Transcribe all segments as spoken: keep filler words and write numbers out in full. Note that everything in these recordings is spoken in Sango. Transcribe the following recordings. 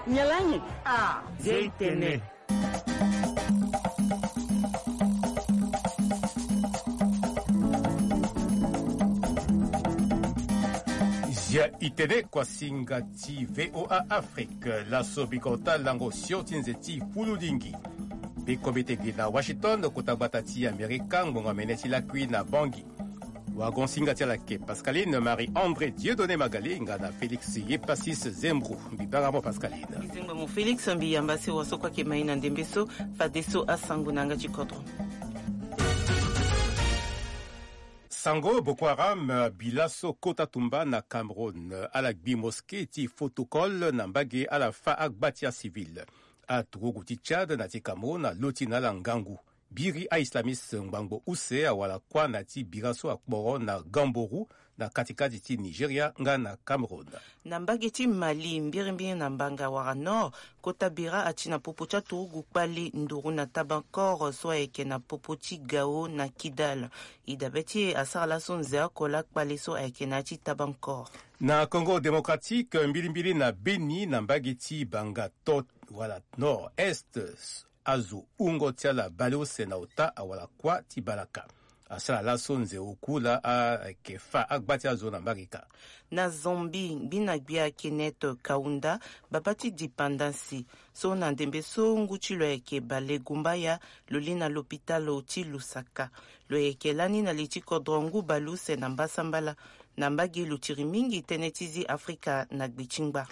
Nyalanyi. Ah, Zia itene. Zia itene, kuasinga ti V O A Afrique. Laso bikota lango sio ti nze ti fululingi. Bikomite gi na Washington, kota gbata ti Amerika, ngbonga mene ti lakui na Bangui. Wagon singa ti ala ke Pascaline Marie André Dieudonné Magali nga na Félix Yepasis Zembro. Mbi bara mo Pascaline. Mbi zengba mo Félix, mbi yamba si wa so kue ayeke mai na ndembe so, fadeso asango na yanga ti kodro. Sango Boko Haram, eh, bi laso kota tumba na Cameroun. Ala gbi mosquée ti Fotokol na mbage ala fâ agba ti acivil. Aturugu ti Tchad na ti Cameroun aloti na ala ngangu. Biri a-islamiste ngbangbo use awara kuâ na ti bira so akporo na Gamboru na katikati ti Nigeria nga na Cameroun. Na mbage ti Mali, mbirimbiri na Mbanga wala Nord, kota bira ati na popo ti aturugu kpale nduru na Tabankor so ayeke na popo ti Gao na Kidal. E dabe ti e asara laso nze oko laa kpale so ayeke na ya ti Tabankor. Na Congo Démocratique, mbirimbiri na Beni na mbage ti Banga to wala Nord-Est, azo hungo ti ala bale use na ota awara kuâ ti balaka. Asara laso nze oku laa ayeke fâ agba ti azo na mbage kâ. Na Zambie, gbi na gbia Kenneth Kaunda, babâ ti dipandasi, so na ndembe so ngu ti lo ayeke bale gumbaya, lo li na lopitalo ti Lusaka. Lo yeke lani na li ti kodro ngu bale use na mbasambala, na mbage lo tiri mingi tënë ti zi Afrika na gbe ti ngba.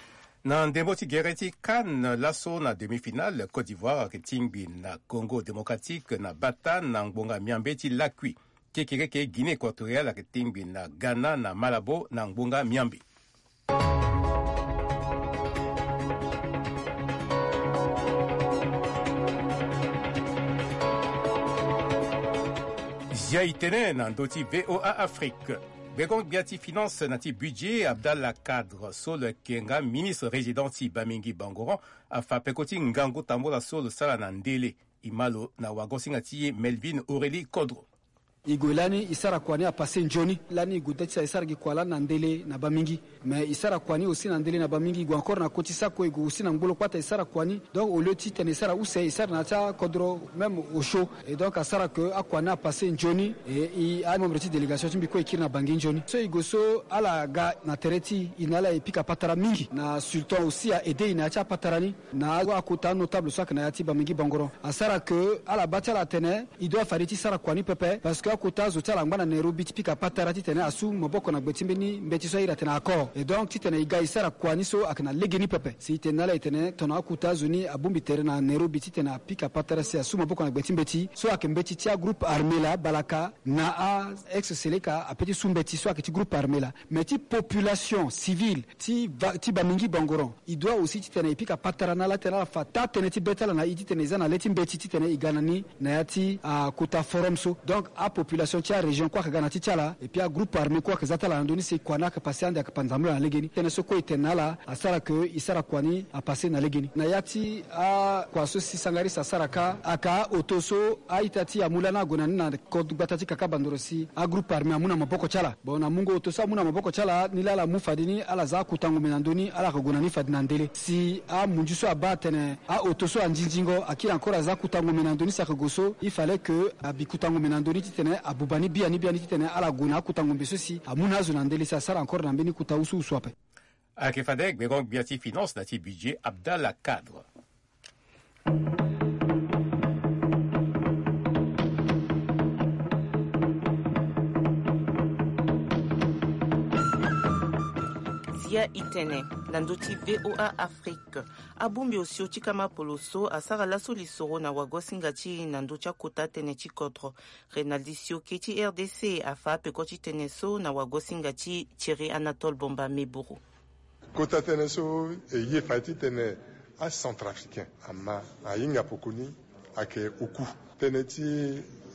Na ndembo ti gere ti CAN, laso na demi-finale, Côte d'Ivoire ayeke tingbi na Congo Démocratique na bata na ngbonga miambe ti lakui. Kekereke Guinée Équatoriale ayeke tingbi na Ghana na Malabo na ngbonga miambe. Zia itene na ndö ti V O A Afrique. Gbego-gbia ti finance na ti budget Abdallah Kadre so lo yeke nga ministre résident ti Bamingi Bangoran afa peko ti ngangu tambula so lo sara na ndele. E ma lo na wago-singa ti e Melvin Aurélie Kodro. E gue lani e sara kua ni apassé nzoni. Lani e gue da ti sa e sara gi kua lani na ndele na Bamingi. Mais e sara kua ni aussi na ndele na Bamingi, e gue encore na koti sako, e gue aussi na ngbolo kpata e sara kua ni. Donc au lieu titene e sara use, e sara na ya ti akodro même au chaud. Et donc asara ke akua ni apassé nzoni. Et e amembre ti délégation ti mbi kue e kiri na Bangui nzoni. So e gue so ala ga na tere ti e, e na ala e pika patara mingi. Na sultan aussi a aidé e na ya ti apatara ni. Na akota anotable so ayeke na ya ti Bamingi Bangoran. Asara ke ala baa ti ala atene e doit fade ti sara kua ni pepe, parce que akota azo ti ala angba na Nairobi ti pika patara titene asu maboko na gbe ti mbeni mbeti so a iri atene accord. Et donc titene e ga e sara kua ni so ayeke na legeni pepe. Si e tene na ala e tene tongana akota azo ni abongbi tere na Nairobi titene apika patara si asu maboko na gbe ti mbeti so ayeke mbeti ti agroupe armé laa, balaka na a ex-Seleka ape ti su mbeti so ayeke ti groupe armé laa. Mais ti population civile ti va, ti Bamingi Bangoran, e doit aussi titene e pika patara na ala titene ala fa taa tënë ti be ti ala na e titene e za na le ti mbeti titene e ga na ni na ya ti akota forum so. Donc apopulation ti arégion kue ayeke ga na ti ti ala, et puis agroupe armé kue ayeke za ti ala na ndö ni si kua ni ayeke passé ande ayeke pa nzambala na legeni. Tënë so kue e tene na ala asara ke e sara kua ni apassé na legeni. Na ya ti akua so si sangaris asara kâ, ayeke aoto so a-ita ti e amu lani ague na ni na kodro gbata ti Kaka Bandoro si agroupe armé amu na maboko ti ala. Bon, na mungo oto so amu na maboko ti ala ni laa ala mu fade ni ala za akota ngombe na ndö ni, ala yeke gue na ni fade na ndele. Si amunzu so abaa atene aoto so anzinzingo akiri encore aza akota ngombe na ndö ni si ayeke gue so, il fallait que abi kota ngombe na ndö ni titene abuba ni biani biani titene ala gue na akota ngombe so si amu na azo na ndele si asara encore na mbeni kota wusuwusu ape. Ayeke fade gbego-gbia ti finance na ti budget Abdallah Kadre. Zia itene na ndö ti V O A Afrique. Abongbi osio ti kama polo so asara laso lisoro na wago-singa ti e na ndö ti akota tënë ti kodro. Renaldi Sioke ti R D C afa apeko ti tënë so na wago-singa ti Thierry Anatole Bomba Meburu. Kota tënë so e ye fade titene acentrafricain ama ahinga poko ni ayeke oku. Tënë ti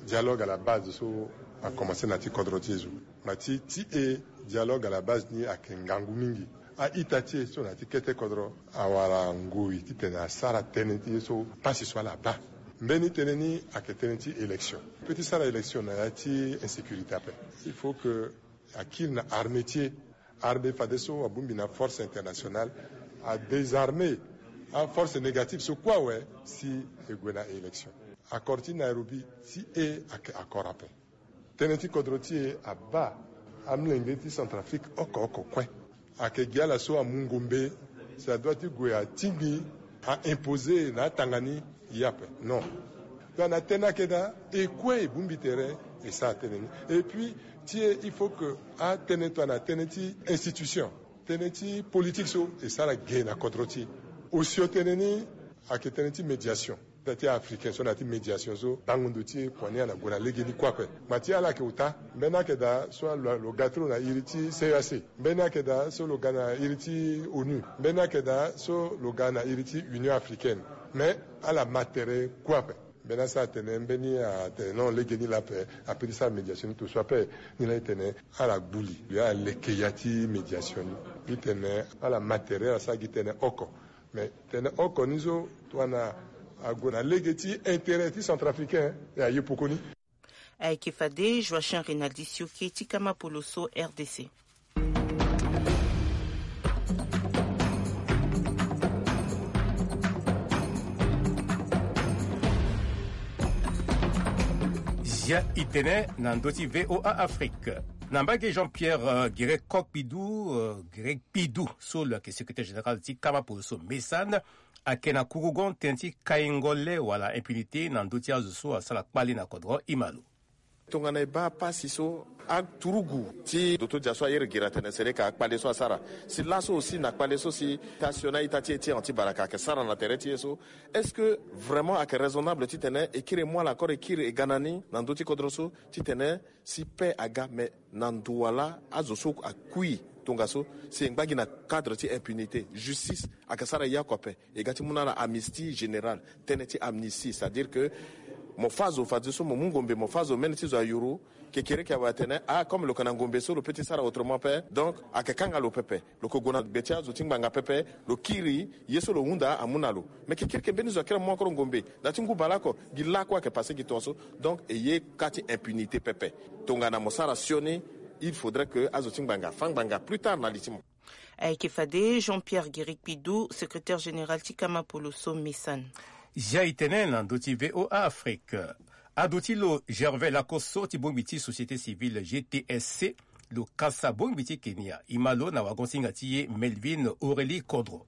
dialogue à la base so akomanse na ti kodro ti e zo. Ma ti ti e dialogue à la base ni ayeke ngangu mingi. A-ita ti e so na ya ti kete kodro awara ngoi titene asara tënë ti e so pasi so ala baa. Mbeni tënë ni ayeke tënë ti élection. Pe ti sara élection na ya ti insécurité ape, il faut que akiri na armée ti e. Armée fadeso abongbi na force internationale adésarmé Aforce négative so kue awe si e gue na élection. Accord ti Nairobi ti e ayeke accord ape. Tënë ti kodro ti e abaa amolenge ti Centrafrique oko oko kue. Ayeke gi ala so amu ngombe si adua ti gue atingbi, a imposer na atanga ni ye ape. Non. Donc na tënë ayeke daa, e kue e bongbi tere e sara tënë ni. Et puis ti e, il faut que atënë tongana tënë ti institution, tënë ti politique so e sara ge na kodro ti e. Osio tënë ni ayeke tënë ti médiation. Ita ti africain so na ya ti médiation so bango ndo ti e kua ni ala gue na legeni kue ape. Ngbanga ti ala ayeke ota, mbeni ayeke daa so lo, lo ga ti lo na iri ti C E E A C. Mbeni ayeke daa so lo ga na iri ti onu. Mbeni ayeke daa so lo ga na iri ti Union africaine. Mais ala ma tere kue ape. Mbeni asara atene mbeni atene non, legeni laa ape, ape ti sara médiation ni to so ape. Ni laa e tene ala gbu li, lo ye ala leke ya ti médiation ni. Ti tene ala ma tere, ala sara gi tënë oko. Mais tene oko ni so, tongana ague na lege ti intérêt ti Centrafricain, e aye poko ni. Ayeke fade Joachim Rinaldi Sioke ti Kama Poloso, R D C. Zia itene na ndö ti V O A Afrique. Na mbage Jean-Pierre, euh, Guérécock Pidou, euh, Guérécock Pidou, so lo yeke secrétaire général ti Kama Poloso Mesan, ayeke na kurugon tënë ti kaingo le wala impunité na ndö ti azo so asara kpale na kodro, e ma lo. Tongana e baa pasi so, aturugu ti doto dia so ayere gira tene sere ka kpale so asara. Si laso aussi na kpale so si ita sio na ita ti e ti anti baraka ayeke sara na tere ti e so, est-ce que vraiment ayeke raisonnable titene e kiri e mu ala encore e kiri e ga na ni na ndö ti kodro so titene si paix aga, mais na ndo wala azo so akui tongaso si e ngba gi na cadre ti impunité, justice ayeke sara ye oko ape. E ga ti mu na ala amnistie générale, tënë ti amnistie, c'est-à-dire que mo fâ zo fadeso mo mu ngombe, mo fâ zo mbeni ti zo ayuru, kekereke awe atene, ah, comme lo yeke na ngombe so lo peut ti sara autrement ape. Donc ayeke kanga lo pepe. Lo yeke gue na gbe ti azo ti ngbanga pepe, lo kiri ye so lo hunda amu na lo. Mais kekereke mbeni zo akiri amu akoro ngombe, da ti ngu bale oko, gi lakue ayeke passé gi tongaso. Donc e ye ka ti impunité pepe. Tongana mo sara sioni, il faudrait que azo ti ngbanga fâ ngbanga plus tard na li ti mo. Ayeke fade Jean-Pierre Guérécock Pidou, secrétaire général ti Kama Poloso Mesan. Zia itene na ndö ti V O A Afrique. Aduti lo Gervais Lakosso ti bongbi ti société civile G T S C, lo kasa bongbi ti Kenya, e ma lo na wagon-singa ti e Melvin Aurélie Kodro.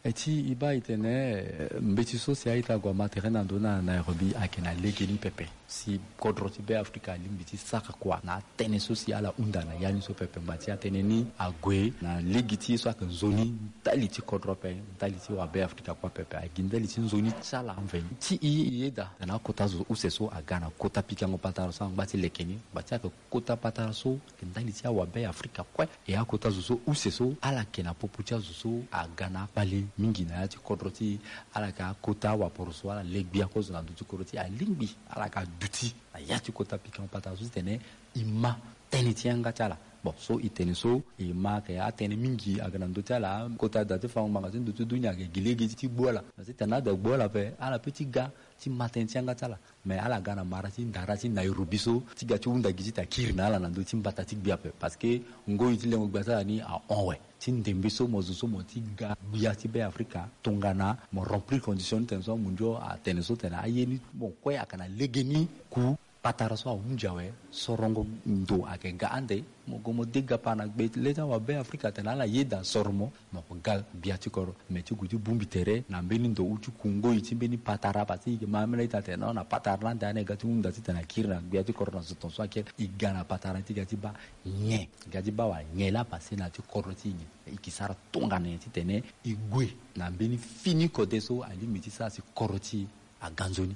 E ti e baa itene, eh, mbeti so si a-ita ague ama tere na ndo na Nairobi ayeke na legeni pepe. Si kodro ti Be Afrika alingbi ti sara kua na atënë so si ala hunda na ya ni so pepe, ngbanga ti atënë ni ague na lege ti ye so ayeke nzoni ndali ti kodro ape, ndali ti wabe Afrika kue ape, aye gi ndali ti nzoni ti ala mveni. Ti e, e yeda tena akota zo use so aga na kota pikango patara so angba ti leke ni, ngbanga ti ayeke kota patara so ayeke ndali ti awabe Afrika kue. E akota zo so use so ala yeke na popo ti azo so aga na akpale mingi na ya ti kodro ti e. Ala yeke akota waporo so ala le gbia kozo na ndö ti kodro ti e, alingbi ala yeke aduti na ya ti kota pikango patara so titene e ma tënë ti yanga ti ala. Bon, so e tene so e ma ayeke atënë mingi ayeke na ndö ti ala. Kota da ti fango ngbanga ti ndö ti dunia ayeke gi lege ti gbu ala. Na titene ada gbu ala ape, ala peut ti ga ti ma tënë ti yanga ti ala. Mais ala ga na mara ti ndara ti Nairobi so ti ga ti hunda gi titene akiri na ala na ndö ti mbata ti gbia ape. Parce que ngoi ti lengo gbia ti ala ni ahon awe. Ti ndembe so mo zo so mo ti ga gbia ti Be Afrika tongana mo remplir condition ni tene so amundio atene so tene aye ni mo kue ayeke na legeni ku patara so ahunzi awe. Sorongo ndo ayeke ga ande. Mo gue mo de gapa na gbe le ti awabe Afrika tene ala yeda soro mo. Mo yeke ga gbia ti kodro. Me ti gue ti bongbi tere na mbeni ndo ou ti ku ngoi ti mbeni patara, parce que e yeke ma ambeni a-ita atene non, na patara lande ani e ga ti hunda titene akiri na gbia ti kodro na zo tongaso akiri. E ga na patara ni ti ga ti baa nyen? E ga ti baa wa nyen laa, parce que na ya ti kodro ti e nyen? E yeke sara tongana nyen titene e gue na mbeni fini kode so alingbi ti sara si kodro ti e aga nzoni?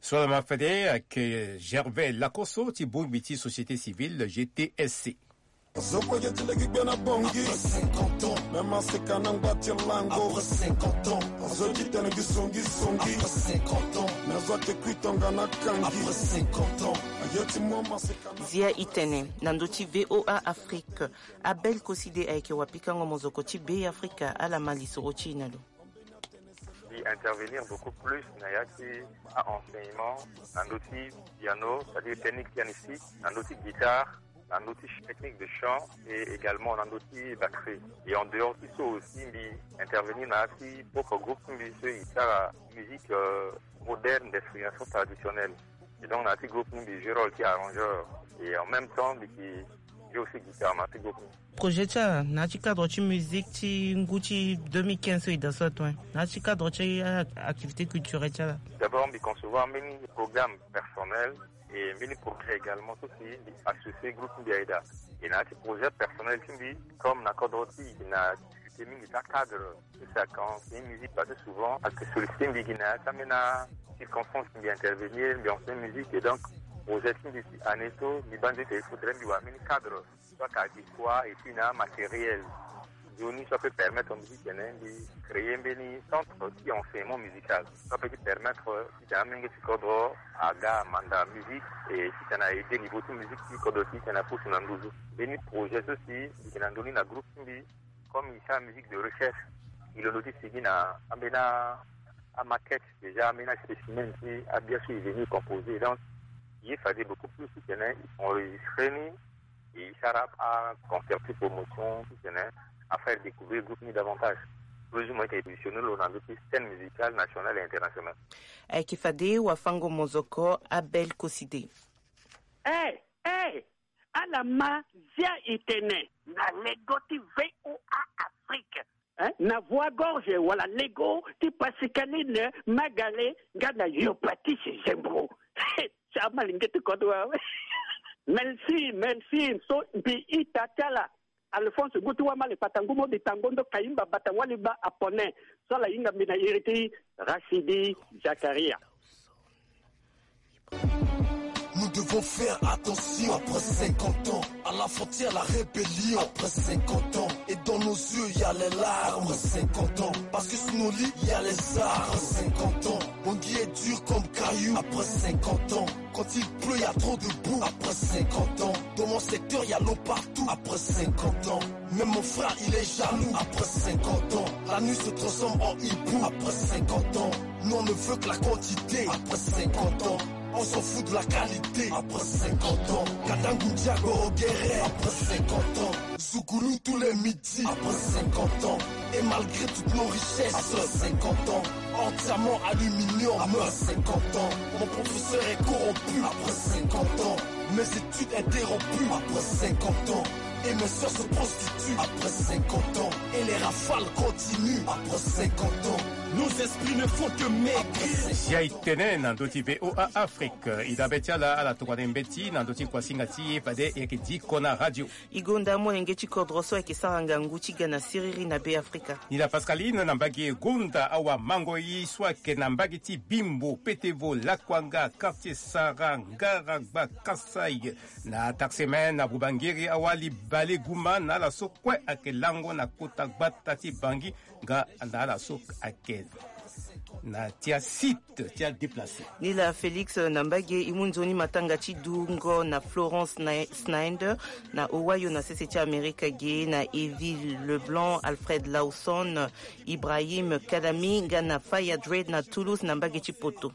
So ala ma fade ayeke Gervais Lakosso ti bongbi ti société civile G T S C. Zo kue ye ti lege gbia na bongi. Après cinquante ans. Me maseka na ngba ti lango. Après cinquante ans. Azo ye ti tene gi songi songi. Après cinquante ans. Me zo ayeke kui tongana kangi. Après cinquante ans. Aye ti mo maseka na. Zia itene na ndö ti V O A Afrique. Abel Koside ayeke wapikango mozoko ti Be Afrika, ala ma lisoro ti e na lo. Mbi intervenir beaucoup plus na ya ti a-enseignement na ndö ti piano, c'est-à-dire technique pianistique, na ndö ti guitare. na ndö ti technique de chant et également na ndö ti batterie. Et en dehors ti so aussi, mbi intervenir na ya ti propre groupe ti mbi so e sara musique, euh, moderne d'inspiration traditionnelle. Et donc na ya ti groupe ni mbi joue rôle ti arrangeur. Et en même temps mbi ke joue aussi guitare na ya ti groupe ni. Projet ti ala na ya ti cadre ti musique ti ngu ti deux mille quinze so e daa so ato, hein, na ya ti cadre ti a-, activité culturelle ti ala. D'abord mbi concevoir mbeni programme personnel et mbeni projet également so si mbi associer groupe ti mbi aye daa. Et na ya ti projet personnel ti mbi, comme na kodro ti e na difficulté mingi ti acadre, ti si ake enseigner musique parce que souvent ake solliciter mbi gi na ya ti ambeni acirconstance mbi intervenir, mbi enseigner musique. Et donc projet ti mbi si année so mbi baa nzete il faudrait mbi wara mbeni cadre, soit ake adéquat et puis na matériel. Nzoni so apeut permettre mbi titene mbi créer mbeni centre ti enseignement musical so apeut ti permettre titene amolenge ti kodro aga amanda musique et titene a aider niveau ti musique ti kodro ti titene apusu na nduzu. Mbeni projet so si mbi yeke na ndö ni na groupe ti mbi, comme e sara musique de recherche, e londo ti sigi na ambeni a-, amaquette, déjà ambeni aspécimen ti abia so e venu composer. Donc e ye fade beaucoup plus titene e enregistrer ni, e sara aconcert ti promotion titene a faire découvrir groupe ni davantage. Plus ou moins e yeke positionner lo na ndö ti scène musicale nationale et internationale. Ayeke fade wafango mozoko Abel Koside. Eh, eh, ala ma zia e tene na lego ti V O A Afrique, hein? Na Voix Gorge wala lego ti Pascaline Magale nga na Yopatisi Zembro. Ti amalenge ti kodro awe. Merci, merci. So mbi ita ti ala Alphonse ngu ti wamale kpata ngu mo di tango ndo kayimba bata wali ba apone. So ala hinga mbi na iri ti Rachidi Zakaria. Nous devons faire attention. Après cinquante ans, à la frontière, la rébellion. Après cinquante ans, et dans nos yeux, il y a les larmes. Après cinquante ans, parce que sous nos lits, il y a les armes. Après cinquante ans, Bangui est dur comme caillou. Après cinquante ans, quand il pleut, il y a trop de boue. Après cinquante ans, dans mon secteur, il y a l'eau partout. Après cinquante ans, même mon frère, il est jaloux. Après cinquante ans, la nuit se transforme en hibou. Après cinquante ans, nous on ne veut que la quantité. Après cinquante ans, on s'en fout de la qualité. Après cinquante ans, Kadangundia Gorogere. Après cinquante ans, Zoukoulou tous les midis. Après cinquante ans, et malgré toutes nos richesses. Après cinquante ans, entièrement aluminium. Après cinquante ans, mon professeur est corrompu. Après cinquante ans, mes études interrompues. Après cinquante ans, et mes sœurs se prostituent. Après cinquante ans, et les rafales continuent. Après cinquante ans, nos esprits ne font que maigrir. Zia e tene na ndö ti V O A Afrique. E dabe ti ala, ala tongana mbeti na ndö ti kuasinga ti e fade e yeke diko na radio. E gonda amolenge ti kodro so ayeke sara ngangu ti ga na siriri na Be Afrika. Ni la Pascaline na mbage gonda awamango ye so ayeke na mbage ti Bimbo, Petevo, Lakuanga, Quartier Sara, Ngaragba, Kasaï, na Taximen, na Bubangiri, awali Bale Guma, na ala so kue ayeke lango na kota gbata ti Bangui, nga na ala so ayeke na ti asite ti adéplacé. Ni la Félix na mbage e mu nzoni matanga ti dungo na Florence Sny-, Snyder na Ohio na sese ti Amerika ge na Evie Leblanc, Alfred Lawson, Ibrahim Kadami nga na Faya Dread na Toulouse na mbage ti poto.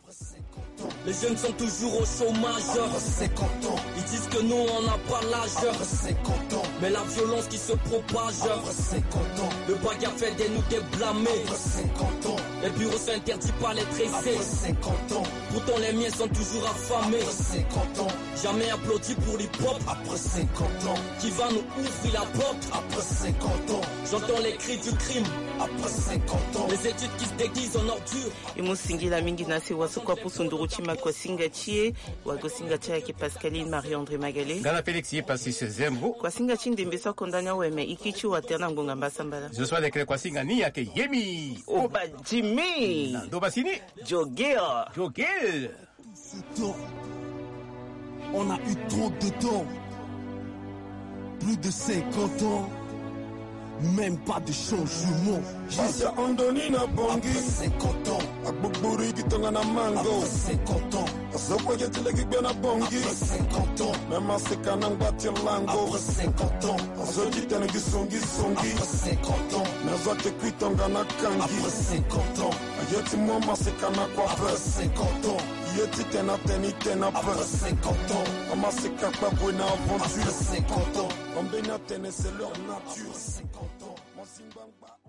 Les jeunes sont toujours au chômage. Après cinquante ans. Ils disent que nous, on n'a pas l'âge. Après cinquante ans. Mais la violence qui se propage. Après cinquante ans. Le bagarre fait de nous des blâmés. Après cinquante ans. Les bureaux sont interdits par les tressés. Après cinquante ans. Pourtant, les miens sont toujours affamés. Après cinquante ans. Jamais applaudi pour l'hip-hop. Après cinquante ans. Qui va nous ouvrir la porte. Après cinquante ans. J'entends les cris du crime. Après cinquante ans. Les études qui se déguisent en ordures. E mu singila mingi na sewa so kue apusu nduru ti makuasinga ti e. Wagosinga ti e ayeke Pascaline Marie-André Magale. Nga na Félix ye Passis Zembo. Kuasinga ti ndembe so akonda ni awe me e kiri ti wa tere na ngonga mbasambala. Zo so alekere kuasinga ni ayeke Yemi Oba Jimmy. Na ndo basi ni. Jogea. Jogel. Ce temps, on a eu trop de temps. Plus de cinquante ans, même pas de changement. Basi ahon ndoni na Bangui. Après cinquante ans. Agbogbori gi tongana mango. Après cinquante ans. Azo kue ge ti lege gbe na bongi. Même aseka na ngba ti lango. Azo ti tene gi songi songi. Mais azo ake kui tonga na kangi. Aye ti mo maseka na kua pe. Ye ti tene atene i tene ape. Amaseka kpakue na aventure. Ambeni atene c'est leur nature. Mazingbangba.